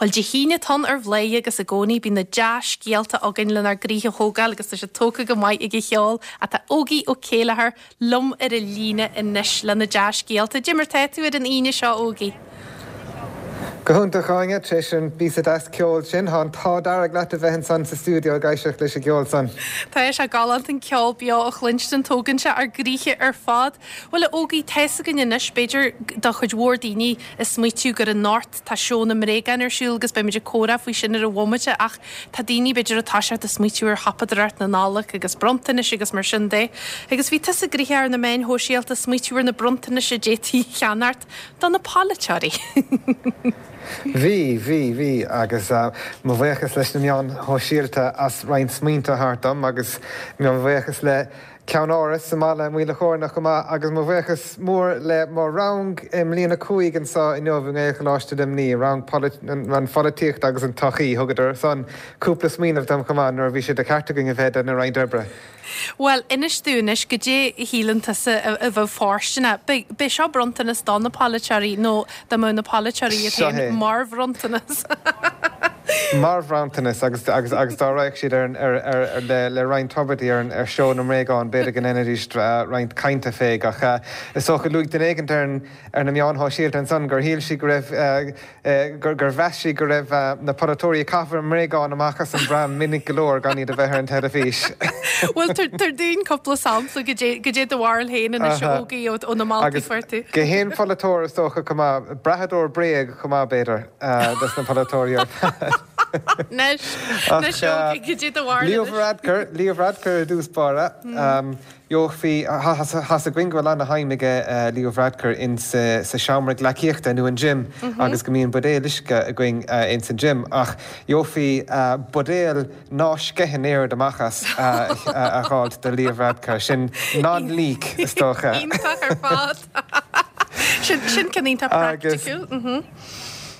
Bhuel, Dé hAoine atá ann ar Bhladhaire agus i gcónaí bíonn na dea-scéalta againn lenár gcroíthe a thógáil agus tá siad tógtha go maith ag an cheol ach tá Ógie Ó Céilleachair liom ar an líne anois le na dea-scéalta. Dé mar tá tú ar an Aoine seo, Ógie? Go hiontach, Áine, tar éis an píosa deas ceoil sin. Tá an t-ádh dearg leat a bheith ansan sa stiúideo ag éisteacht leis an gceol san. Tá sé galánta an ceol beo a chluinstin, tógann sé ár gcroíthe ar fad. Bhuel, a Ógie, tá's againn anois, b'fhéidir do chuid mhór daoine ag smaoitiú gur anocht tá seó na mbréagán ar siúl agus beimid ag comhrá faoi sin ar an bhomaite ach tá daoine b'fhéidir ag toiseacht ag smaoitiú ar shiopadóireacht na Nollag agus bronntanais agus mar sin de. Agus bhí tusa gnoitheach ar na meáin shóisialta ag smaoitiú ar na bronntanais a d'fhéadfaí a cheannacht. Do na polaiteoirí. Bhí, bhí, bhí agus mo bhuíochas leis na meáin shóisialta as roinnt smaointe a thabhairt dom agus mo bhuíochas le Ceann-Áras sa mbaile, Maoil a' Chóirne chomh maith agus mo bhuíochas mór le mo rang i mbliain 5 anseo inniu i nGaelcholáiste Luimnigh, rang an pholaitíocht agus an tsochaí. Thugadar san cúpla smaoineamh dom chomh maith nuair a bhí sé de cheart againn a bheith ag déanamh roinnt oibre. Bhuel, inis dúinn anois, goidé a shíleann tusa a bheadh fóirsteanach? B'é seo bronntanas do na polaiteoirí nó dá mbeadh na polaiteoirí iad Seo féin é. mar bhronntanas? Mar bhronntanas agus, agus, agus dá raghadh siad ar an, ar, ar, ar, le, le roinnt tubairtí ar an, ar seó na mbréagán, b'fhéidir go ndéanfaidís roinnt cainte fé. Ach is dócha, luaigh duine éigint ar an, ar na meáin shóisialta ansan gur shíl sí go raibh, gur mheas sí go raibh na polaiteoirí ag caitheamh a mbréagán amach as an bpram minic go leor gan iad a bheith ar an teilifís. Bhuel, tabhair dúinn cúpla sampla, goidé do bharúil féin anois, a Ógie, ó na moltaí Agus a fuair tú. go haon pholaiteoir is dócha chomh maith, brathadóir bréag chomh maith b'fhéidir, dos na polaiteoirí ar fad. Anois, anois Ógie, goidé do bharúil Leo anois. Varadkar, Leo Varadkar i dtús báire. Gheofaí, tá's againn go bhfuil ana-shuim aige Leo Varadkar ins sa seomra gleacaíochta nó an gym agus go mbíonn buidéal uisce againn ins an gym ach gheofaí buidéal ná sceitheann oiread amach as a dh'fháilt do Leo Varadkar. Sin non-leak is dócha. Iontach ar fad. Sin ceann iontach praiticiúil.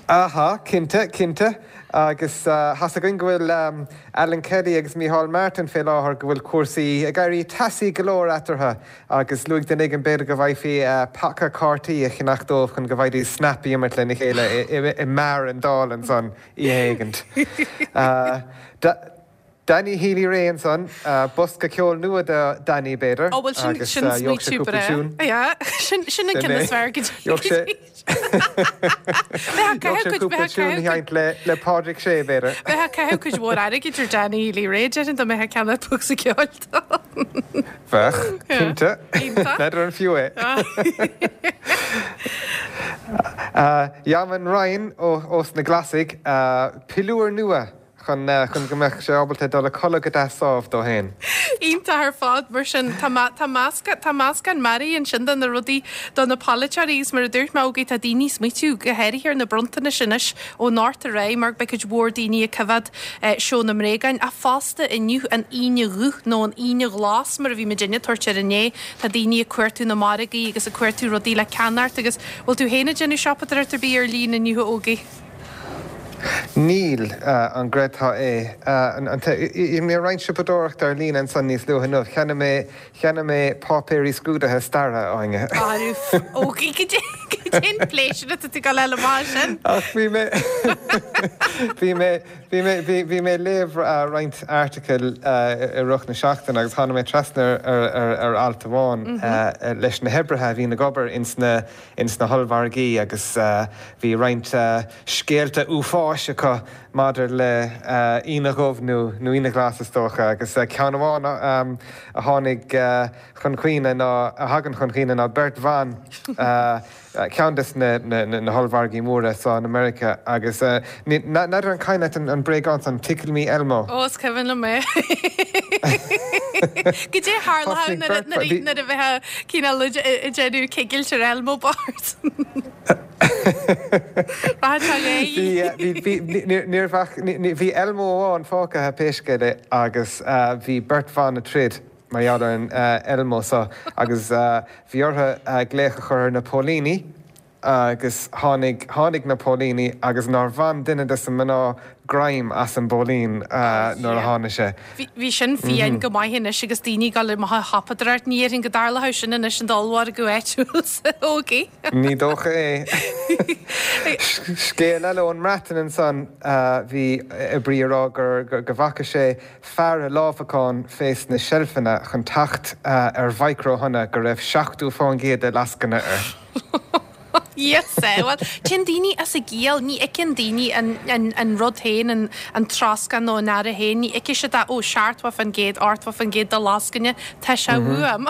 Aha, cinnte, cinnte. Agus tá's againn go bhfuil Alan Kelly agus Micheál Martin fé láthair, go bhfuil cúrsaí ag éirí teasaí go leor eatarthu agus luaigh duine éigin b'fhéidir go bhfaighfí paca cártaí a cheannach dóibh chun go bhfaighidís Snap a imirt lena chéile i mbeár an Dáil ansan oíche éigint. Danny Healy-Rae ansan, bosca ceoil nua do Danny b'fhéidir Ó bhuel sin agus sin gheobhadh sé smaoitiú cúpla breá. tiún. Yeah, sin sin an Sin ceann é. is fearr go dtí Gheobhadh sé Bheadh Gheobhadh caitheamh sé cuid cúpla bheadh tiún a caitheamh cuid sheinnt le le Pádraig Sé b'fhéidir. bheadh caitheamh cuid mhór airgid ar Danny Healy-Rae déarfainn dá mbeadh ag ceannach bosca ceoil dó. Bheadh, Yeah. cinnte. Iontach. N'fheadar an fiú é. Eamon Ryan ó ós na Glasaigh, piliúr nua chun chun go mbeadh sé ábalta dul a codladh go deas sámh dó fhéin. Iontach ar fad, mar sin tá tá meascán tá meascán mearaí ansin de na rudaí do na polaiteoirí agus mar a dúirt mé Ógie tá daoine ag smaoitiú go háirithe ar na bronntanais anois ó anocht ar aghaidh mar beidh cuid mhór daoine ag coimhéad seó na mbréagáin ach fosta inniu an Aoine Dhubh nó an Aoine Ghlas mar a bhí muidinne ag tabhairt air inné tá daoine ag cuartú na margaí agus ag cuartú rudaí le ceannacht agus bhfuil tú féin ag déanamh siopadóireacht ar bith ar líne inniu a Ógie? Níl, an gcreidfeá é. Dhein mé roinnt siopadóireachta ar líne ansan níos luaithe inniu. Cheannaigh mé, cheannaigh mé páipéirí scrúdaithe staire, a Áine. Ógie, goidé an pléisiúr atá tú ag dul a fháil amach as sin? Ach bhí mé, bhí mé, bhí mé, bhí, bhí mé ag léamh roinnt airteacail i rith na seachtaine agus tháinig mé trasna ar, ar, ar alt amháin leis na hoibrithe a bhíonn ag obair ins na, ins na hollmhargaí agus bhí roinnt scéalta uafáis acu maidir le Aoine Dhubh nó Aoine Ghlas is dócha agus ceann amháin a tháinig chun cuimhne ná, a thagann chun cuimhne ná beirt bhan, ceann des na hollmhargaí móra so in America agus n'fheadar an cuimhin leat an bréagán san, Tickle Me Elmo? Ó is cuimhin liom é. Goidé a tharla nuair a bheifeá cineál ag déanamh cigilt ar Elmo bocht. Bhí Elmo amháin fágtha pé scéal é agus bhí beirt bhan ag troid mar gheall ar an Elmo so agus bhí orthu glaoch a chur ar na póilíní. agus tháinig, tháinig na póilíní agus nár bhain duine de na mná greim as an bpóilín nuair a tháinig sé. Bhí sin fiáin go maith anois agus daoine ag dul amach ag siopadóireacht. Ní dhéarfainn go dtarlódh sin anois in d'ollmhargadh áitiúil a Ógie. Ní dócha é. Scéal eile ón mBreatain ansan, bhí oibrí ag rá gur go bhfaca sé fear ag lámhacán fés na seilfeanna chun teacht ar mhicreathonna go raibh 70% de lascaine air. Yes, eh, bhuel, téann daoine as a gciall, ní fheiceann daoine an rud féin, an troscán nó an earra féin, ní fheicfidh siad é, ó, 70%, 80% de lascaine, tá sé uaim.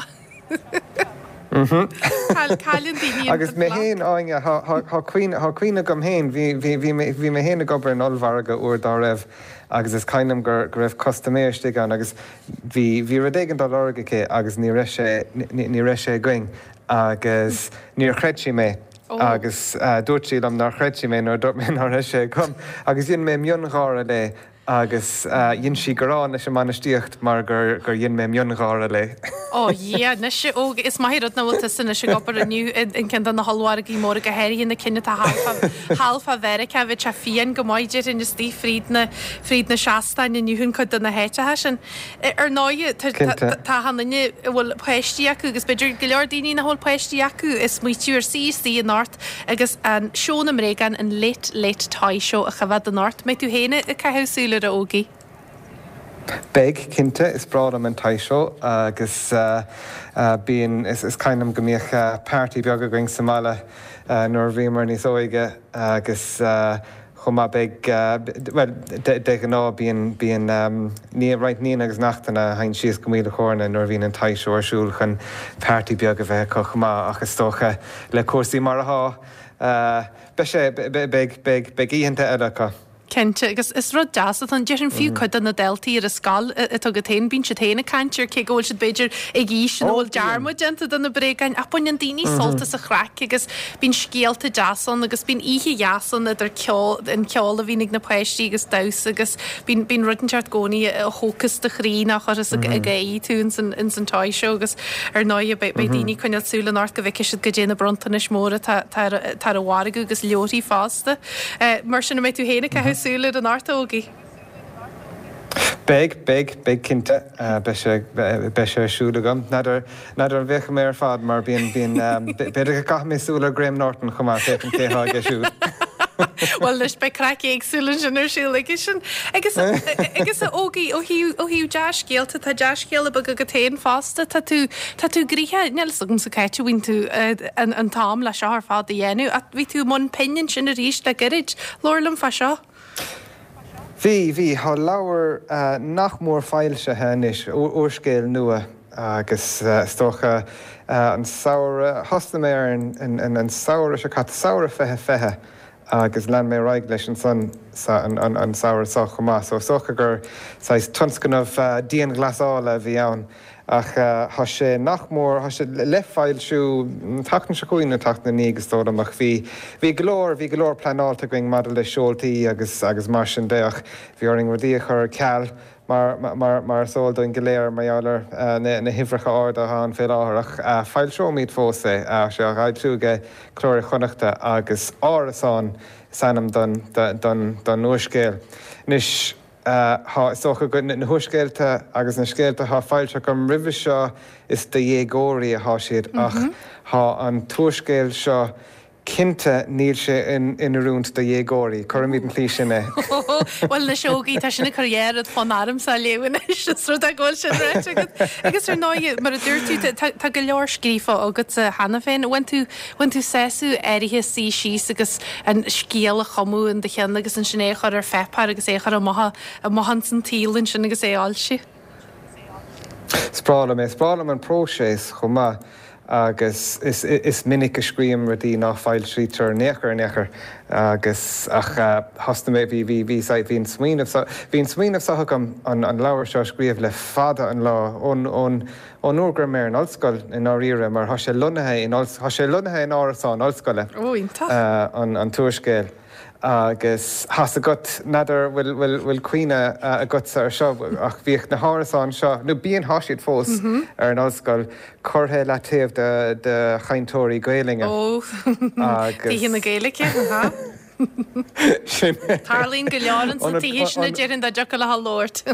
Cailleann daoine an Agus mé féin, Áine, tá cuimhne agam féin, bhí mé féin ag obair in ollmhargadh uair dá raibh agus is cuimhin liom go raibh custaiméir istigh ann agus bhí rud éigin á lorg aici agus ní raibh sé, ní raibh sé againn. Agus níor chreid sí mé. Agus dúirt sí liom nár chreid sí mé nuair a dúirt mé ná raibh sé agam. Agus dhein mé miongháire léi agus dhein sí gearán leis an mbainistíocht mar gur dhein mé miongháire léi. Ó Dhia, anois, ó, is maith an rud nach bhfuil tusa anois ag obair inniu in ceann de na hollmhargaí móra, go háirithe na cinn atá thall fá Mheiriceá, bheadh sé fiáin go maith, déarfainn, istigh fríd na, fríd na seastáin inniu in cuid de na háiteacha sin. Ar ndóigh, tá achan duine a bhfuil páistí acu, agus b'fhéidir go leor daoine nach bhfuil páistí acu, ag smaoitiú ar suí istigh anocht agus an seó na mbréagán, an Late Late Toy Show a choimhéad anocht. Mbeidh tú féin ag caitheamh súil air, a Ógie? Beidh, cinnte. Is breá liom an Toy Show agus bíonn, is cuimhin liom go mbíodh party beag againn sa mbaile nuair a bhíomar níos óige agus Chomh maith beidh, bhuel, de ghnáth bíonn, bíonn roinnt nianna agus neachtanna a théann síos go Maoil a' Chóirne nuair a bhíonn an Toy Show ar siúl chun party beag a bheith acu chomh maith ach is dócha le cúrsaí mar athá, beidh sé, beidh, beidh, beidh oícheanta eile acu. Cinnte, agus is rud deas atá ann. Déarfainn fiú cuid de na daltaí ar an scoil atá agat féin, bíonn siad féin ag caint air, cé go bhfuil siad b'fhéidir ag aois ina bhfuil dearmad déanta de na bréagáin, ach baineann daoine sult as an chraic agus Bíonn scéalta deasa ann agus bíonn oíche dheas ann idir ceol, an ceol a bhíonn ag na páistí agus damhsa agus bíonn, bíonn rud inteacht i gcónaí a thógfas do chroí nó a chuirfeas ag gáirí tú ins an, ins an Toy Show agus ar ndóighe beidh, beidh daoine ag coinneáil súil anocht go bhfeicfidh siad goidé na bronntanais móra atá, atá ar, atá ar an mhargadh agus leabharthaí fosta. Mar sin an mbeidh tú féin ag caitheamh súil air anocht, a Ógie? Beidh, beidh, beidh cinnte. Beidh sé, beidh sé ar siúl agam. N'fheadar, n'fheadar an bhféachfaidh mé ar fad mar bíonn, bíonn, b'fhéidir go gcaithfidh mé súil ar Graham Norton chomh maith, féachaint cé atá aige siúd. Bhuel anois beidh craic éagsúil ansin ar siúl aige sin. Agus, agus a Ógie, ó thaobh, ó thaobh dea-scéalta, tá dea-scéala beag agat féin fosta. Tá tú, tá tú gnoitheach, níl fhios agamsa cá háit a bhfaigheann tú an, an t-am le seo ar fad a dhéanamh ach bhí tú i mbun pinn ansin arís le gairid. Labhair liom fá seo. Bhí, bhí. Tá leabhar nach mór foilsithe anois, úrscéal nua agus is dócha an samhradh, thosnaigh mé air an samhradh seo caite, samhradh 2020 agus lean mé ar aghaidh leis ansan an samhradh seo chomh maith. So is dócha gur saghas tionscnamh dianghlasála a bhí ann. Ach tá sé nach mór, tá sé le foilsiú an tseachtain seo chugainn nó an tseachtain ina dhiaidh is dóigh liom ach bhí, bhí go leor, bhí go leor pleanáilte againn maidir le seoltaí agus, agus mar sin de ach bhí orainn rudaí a chur ar ceal mar, mar, mar is eol dúinn go léir mar gheall ar na, na huimhreacha arda atá ann fé láthair ach foilseoimid fós é. Tá sé á fhoilsiú ag Cló Iar-Chonnachta agus Árasán is ainm don, don, don úrscéal. Anois. Tá, is dócha go, na húrscéalta agus na scéalta atá foilsithe agam roimhe seo, is do dhéagóirí atá siad ach tá an t-úrscéal seo, cinnte níl sé in oiriúint do dhéagóirí, cuirfimid an tslí sin é. Bhuel anois a Ógie, tá sin ag cur dhá rud fonn ormsa a léamh anois, is rud é go bhfuil sin ráite agat. Agus ar ndóigh, mar a dúirt tú, tá go leor scríofa agatsa cheana féin. Bhain tú, Bhain tú sásamh áirithe suí síos agus an scéal a chumadh in do cheann agus ansin é a chur ar pháipéar agus é a chur amach amach ins an tsaol ansin agus é a fhoilsiú. Is breá liom é. Is breá liom an próiseas chomh maith agus is is minic a scríobhaim rudaí ná foilsítear in aon chor in aon chor agus ach thosnaigh mé bhí bhí bhí bhí an smaoineamh seo bhí an smaoineamh seo agam an an leabhar seo a scríobh le fada an lá ón ón Ón uair go raibh mé ar an ollscoil, i ndáiríre, mar tá sé lonnaithe in, tá sé lonnaithe in árasán ollscoile, Ó, iontach. an t-úrscéal. Agus thá's agat, n'fheadar bhfuil, bhfuil, bhfuil cuimhne agatsa ar seo, ach bhíodh na hárasáin seo, nó bíonn, thá siad fós ar an ollscoil, curtha i leataobh do, do chainteoirí Gaelainne. Ó, Agus. Tithe na Gaeilge, aha. Sin é. Tarlaíonn go leor ins na tithe sin a déarfainn dá dtiocfadh leo labhairt.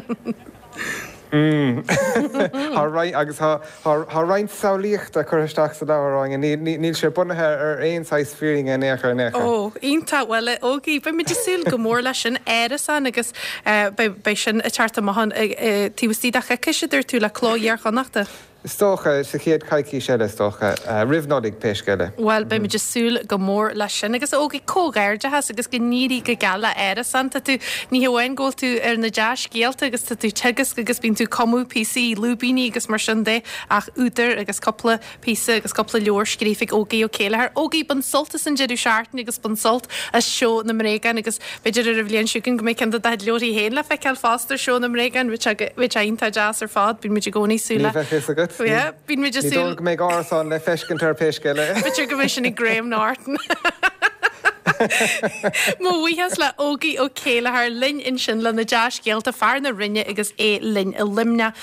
Tá roinnt, agus tá, tá roinnt samhlaíochta curtha isteach sa leabhar, Áine. Níl, níl sé bunaithe ar aon saghas fírinne in aon chor, in aon chor. Ó, iontach. Bhuel, a Ógie, beidh muid ag súil go mór leis sin, Árasán, agus beidh, beidh sin ag teacht amach an, taobh istigh de choicís, a dúirt tú, le Cló Iar-Chonnachta. Is dócha, sa chéad choicís eile, is dócha. Roimh Nollaig, pé scéal é. Bhuel, beimid ag súil go mór leis sin. Agus a Ógie, comhghairdeachas agus go n-éirí go geal le Árasán. Tá tú, ní hamháin go bhfuil tú ar na dea-scéalta agus tá tú ag teagasc agus bíonn tú ag cumadh píosaí, lúibíní agus mar sin de, ach údar agus cúpla píosa agus cúpla leabhar scríofa ag Ógie Ó Céilleachair. Ógie, bain sult as an deireadh seachtaine agus bain sult as Seó na mBréagán agus b'fhéidir ar an bhliain seo chugainn go mbeidh ceann de do chuid leabharthaí féin le feiceáil fosta ar Seó na mBréagán, bheadh sé iontach deas ar fad. Bíonn muid i gcónaí ag súil le. Ní bheadh a fhios agat. Yeah, bíonn muid ag súil. Ní dóigh go mbeidh árasán le feiscint air pé scéal é. B'fhéidir go mbeidh sin ag Graham Norton. Mo bhuíochas le Ógie Ó Céilleachair linn ansin le na dea-scéalta, fear na Rinne agus é linn i Luimneach.